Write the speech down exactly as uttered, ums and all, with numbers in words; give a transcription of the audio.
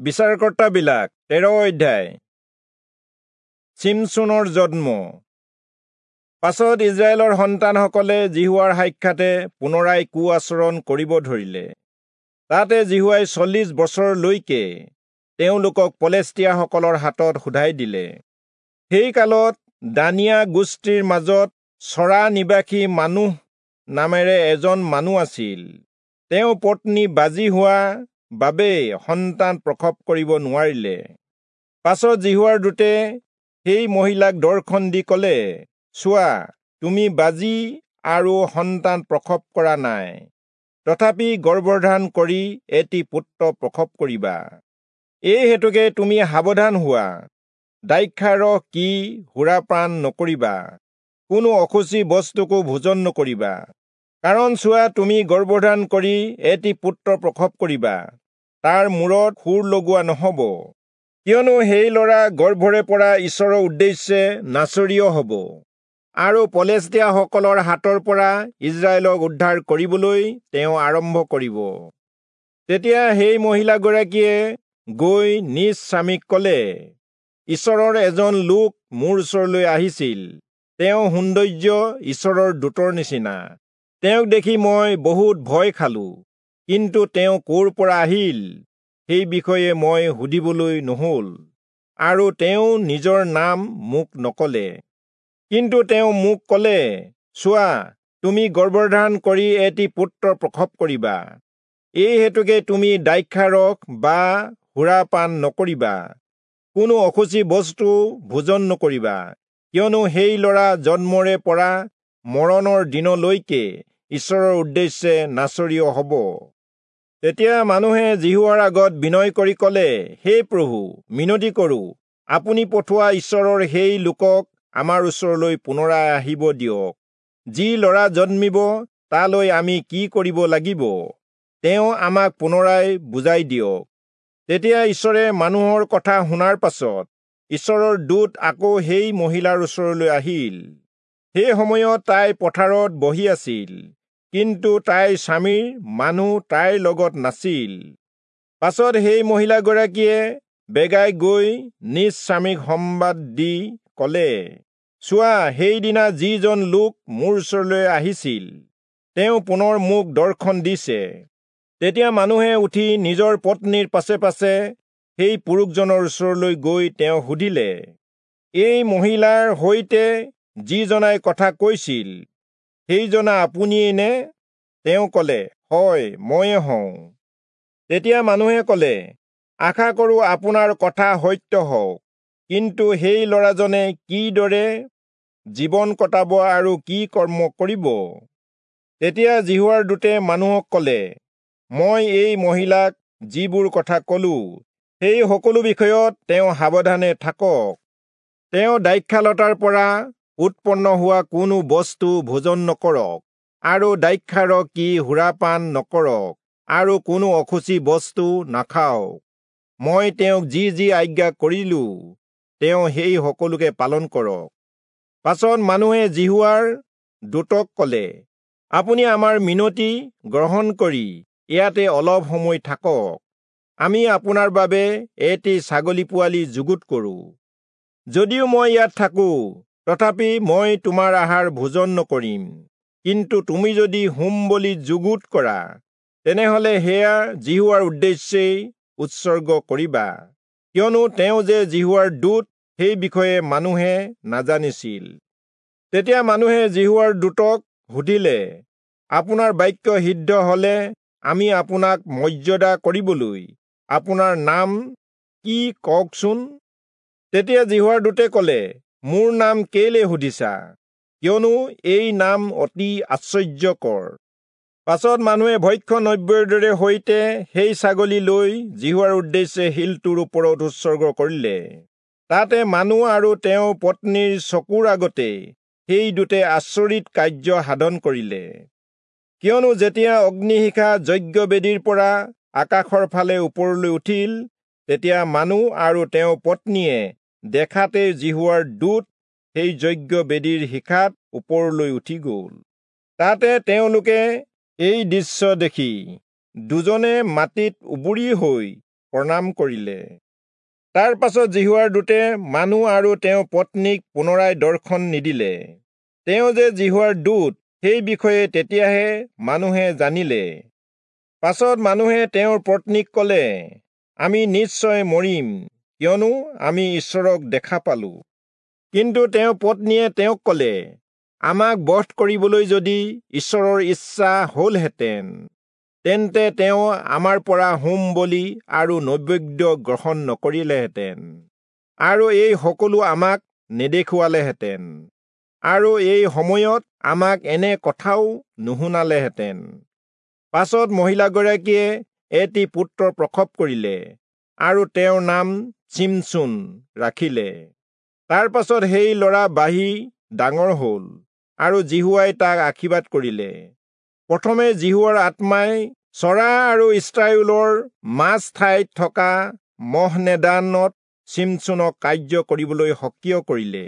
বিচাৰকৰ্তাবিলাক তেৰ অধ্যায়। চিমচোনৰ জন্ম। পাছত ইস্ৰায়েলৰ সন্তানসকলে যিহোৱাৰ সাক্ষাতে পুনৰাই কু আচৰণ কৰিব ধৰিলে। তাতে যিহোৱাই চল্লিশ বছৰলৈকে তেওঁলোকক পলেষ্টীয়াসকলৰ হাতত সোধাই দিলে। সেই কালত দানিয়া গোষ্ঠীৰ মাজত চৰা নিবাসী মানুহ নামেৰে এজন মানুহ আছিল। তেওঁ পত্নী বাজী হোৱা বাবে সন্তান প্ৰসৱ কৰিব নোৱাৰিলে। পাছত যিহোৱাৰ দূতে সেই মহিলাক দৰ্শন দি কলে, চোৱা, তুমি বাজী আৰু সন্তান প্ৰসৱ কৰা নাই, তথাপি গৰ্ভধাৰণ কৰি এটি পুত্ৰ প্ৰসৱ কৰিবা। এই হেতুকে তুমি সাৱধান হোৱা, দ্ৰাক্ষাৰস কি সুৰাপান নকৰিবা, কোনো অশুচি বস্তুকো ভোজন নকৰিবা। কাৰণ চোৱা, তুমি গৰ্ভধাৰণ কৰি এটি পুত্ৰ প্ৰসৱ কৰিবা, তাৰ মূৰত সুৰ লগোৱা নহব, কিয়নো সেই ল'ৰা গৰ্ভৰে পৰা ঈশ্বৰৰ উদ্দেশ্যে নাচৰীয় হব, আৰু পলেষ্টীয়াসকলৰ হাতৰ পৰা ইস্ৰায়েলক উদ্ধাৰ কৰিবলৈ তেওঁ আৰম্ভ কৰিব। তেতিয়া সেই মহিলাগৰাকীয়ে গৈ নিজ স্বামীক কলে, ঈশ্বৰৰ এজন লোক মোৰ ওচৰলৈ আহিছিল, তেওঁ সৌন্দৰ্য ঈশ্বৰৰ দূতৰ নিচিনা। তেওঁক দেখি মই বহুত ভয় খালো, কিন্তু তেওঁ ক'ৰ পৰা আহিল সেই বিষয়ে মই সুধিবলৈ নহল, আৰু তেওঁ নিজৰ নাম মোক নকলে। কিন্তু তেওঁ মোক কলে, চোৱা, তুমি গৰ্ভধাৰণ কৰি এটি পুত্ৰ প্ৰসৱ কৰিবা, এই হেতুকে তুমি দ্ৰাক্ষাৰস বা সুৰাপান নকৰিবা, কোনো অশুচি বস্তু ভোজন নকৰিবা, কিয়নো সেই ল'ৰা জন্মৰে পৰা মৰণৰ দিনলৈকে ঈশ্বৰৰ উদ্দেশ্যে নাচৰীয় হব। তেতিয়া মানুহে যিহোৱাৰ আগত বিনয় কৰি কলে, হে প্ৰভু, মিনতি কৰো, আপুনি পঠোৱা ঈশ্বৰৰ সেই লোকক আমাৰ ওচৰলৈ পুনৰাই আহিব দিয়ক। যি ল'ৰা জন্মিব তালৈ আমি কি কৰিব লাগিব, তেওঁ আমাক পুনৰাই বুজাই দিয়ক। তেতিয়া ঈশ্বৰে মানুহৰ কথা শুনাৰ পাছত ঈশ্বৰৰ দূত আকৌ সেই মহিলাৰ ওচৰলৈ আহিল। সেই সময়ত তাই পথাৰত বহি আছিল, কিন্তু তাইৰ স্বামীৰ মানুহ তাইৰ লগত নাছিল। পাছত সেই মহিলাগৰাকীয়ে বেগাই গৈ নিজ স্বামীক সম্বাদ দি কলে, চোৱা, সেইদিনা যিজন লোক মোৰ ওচৰলৈ আহিছিল, তেওঁ পুনৰ মোক দৰ্শন দিছে। তেতিয়া মানুহে উঠি নিজৰ পত্নীৰ পাছে পাছে সেই পুৰুষজনৰ ওচৰলৈ গৈ তেওঁ সুধিলে, এই মহিলাৰ সৈতে যিজনাই কথা কৈছিল, সেইজনা আপুনিয়েই নে? তেওঁ কলে, হয়, ময়ে হওঁ। তেতিয়া মানুহে কলে, আশা কৰো আপোনাৰ কথা সত্য হওক, কিন্তু সেই ল'ৰাজনে কিদৰে জীৱন কটাব আৰু কি কৰ্ম কৰিব? তেতিয়া যিহোৱাৰ দূতে মানুহক কলে, মই এই মহিলাক যিবোৰ কথা কলো, সেই সকলো বিষয়ত তেওঁ সাৱধানে থাকক। তেওঁ দ্ৰাক্ষালতাৰ পৰা উৎপন্ন হোৱা কোনো বস্তু ভোজন নকৰক, আৰু দ্ৰাক্ষাৰস কি সুৰাপান নকৰক, আৰু কোনো অশুচি বস্তু নাখাওক। মই তেওঁক যি যি আজ্ঞা কৰিলো, তেওঁ সেই সকলোকে পালন কৰক। পাছত মানুহে যিহোৱাৰ দূতক কলে, আপুনি আমাৰ মিনতি গ্ৰহণ কৰি ইয়াতে অলপ সময় থাকক, আমি আপোনাৰ বাবে এটি ছাগলী পোৱালি যুগুত কৰো। যদিও মই ইয়াত থাকো, তথাপি মই তোমাৰ আহাৰ ভোজন নকৰিম, কিন্তু তুমি যদি হোম বলি যুগুত কৰা, তেনেহলে সেয়া যিহোৱাৰ উদ্দেশ্যেই উৎসৰ্গ কৰিবা। কিয়নো তেওঁ যে যিহোৱাৰ দূত, সেই বিষয়ে মানুহে নাজানিছিল। তেতিয়া মানুহে যিহোৱাৰ দূতক সুধিলে, আপোনাৰ বাক্য সিদ্ধ হলে আমি আপোনাক মৰ্যাদা কৰিবলৈ আপোনাৰ নাম কি কওকচোন? তেতিয়া যিহোৱাৰ দূতে কলে, মোৰ নাম কেলে সুধিছা? কিয়নো এই নাম অতি আশ্চৰ্যকৰ। পাছত মানুহে ভক্ষ্য নৈবেদ্যৰে সৈতে সেই ছাগলী লৈ যিহোৱাৰ উদ্দেশ্যে শিলটোৰ ওপৰত উৎসৰ্গ কৰিলে। তাতে মানুহ আৰু তেওঁৰ পত্নীৰ চকুৰ আগতে সেই দূতে আচৰিত কাৰ্য সাধন কৰিলে। কিয়নো যেতিয়া অগ্নিশিখা যজ্ঞবেদীৰ পৰা আকাশৰ ফালে ওপৰলৈ উঠিল, তেতিয়া মানুহ আৰু তেওঁৰ পত্নীয়ে দেখাতে যিহোৱাৰ দূত সেই যজ্ঞবেদীৰ শিখাত ওপৰলৈ উঠি গ'ল। তাতে তেওঁলোকে এই দৃশ্য দেখি দুজনে মাটিত উবুৰি হৈ প্ৰণাম কৰিলে। তাৰ পাছত যিহোৱাৰ দূতে মানুহ আৰু তেওঁৰ পত্নীক পুনৰাই দৰ্শন নিদিলে। তেওঁ যে যিহোৱাৰ দূত, সেই বিষয়ে তেতিয়াহে মানুহে জানিলে। পাছত মানুহে তেওঁৰ পত্নীক কলে, আমি নিশ্চয় মৰিম, কিয়নো আমি ঈশ্বৰক দেখা পালো। কিন্তু তেওঁৰ পত্নীয়ে তেওঁক কলে, আমাক বধ কৰিবলৈ যদি ঈশ্বৰৰ ইচ্ছা হলহেঁতেন, তেন্তে তেওঁ আমাৰ পৰা হোম বলি আৰু নৈবেদ্য গ্ৰহণ নকৰিলেহেঁতেন, আৰু এই সকলো আমাক নেদেখুৱালেহেঁতেন, আৰু এই সময়ত আমাক এনে কথাও নুশুনালেহেঁতেন। পাছত মহিলাগৰাকীয়ে এটি পুত্ৰ প্ৰসৱ কৰিলে আৰু তেওঁৰ নাম চিমচোন ৰাখিলে। তাৰ পাছত সেই ল'ৰা বাঢ়ি ডাঙৰ হ'ল আৰু যিহোৱাই তাক আশীৰ্বাদ কৰিলে। প্ৰথমে যিহোৱাৰ আত্মাই চৰা আৰু ইস্ৰায়েলৰ মাজ ঠাইত থকা মহনেদানত চিমচোনক কাৰ্য কৰিবলৈ সক্ৰিয় কৰিলে।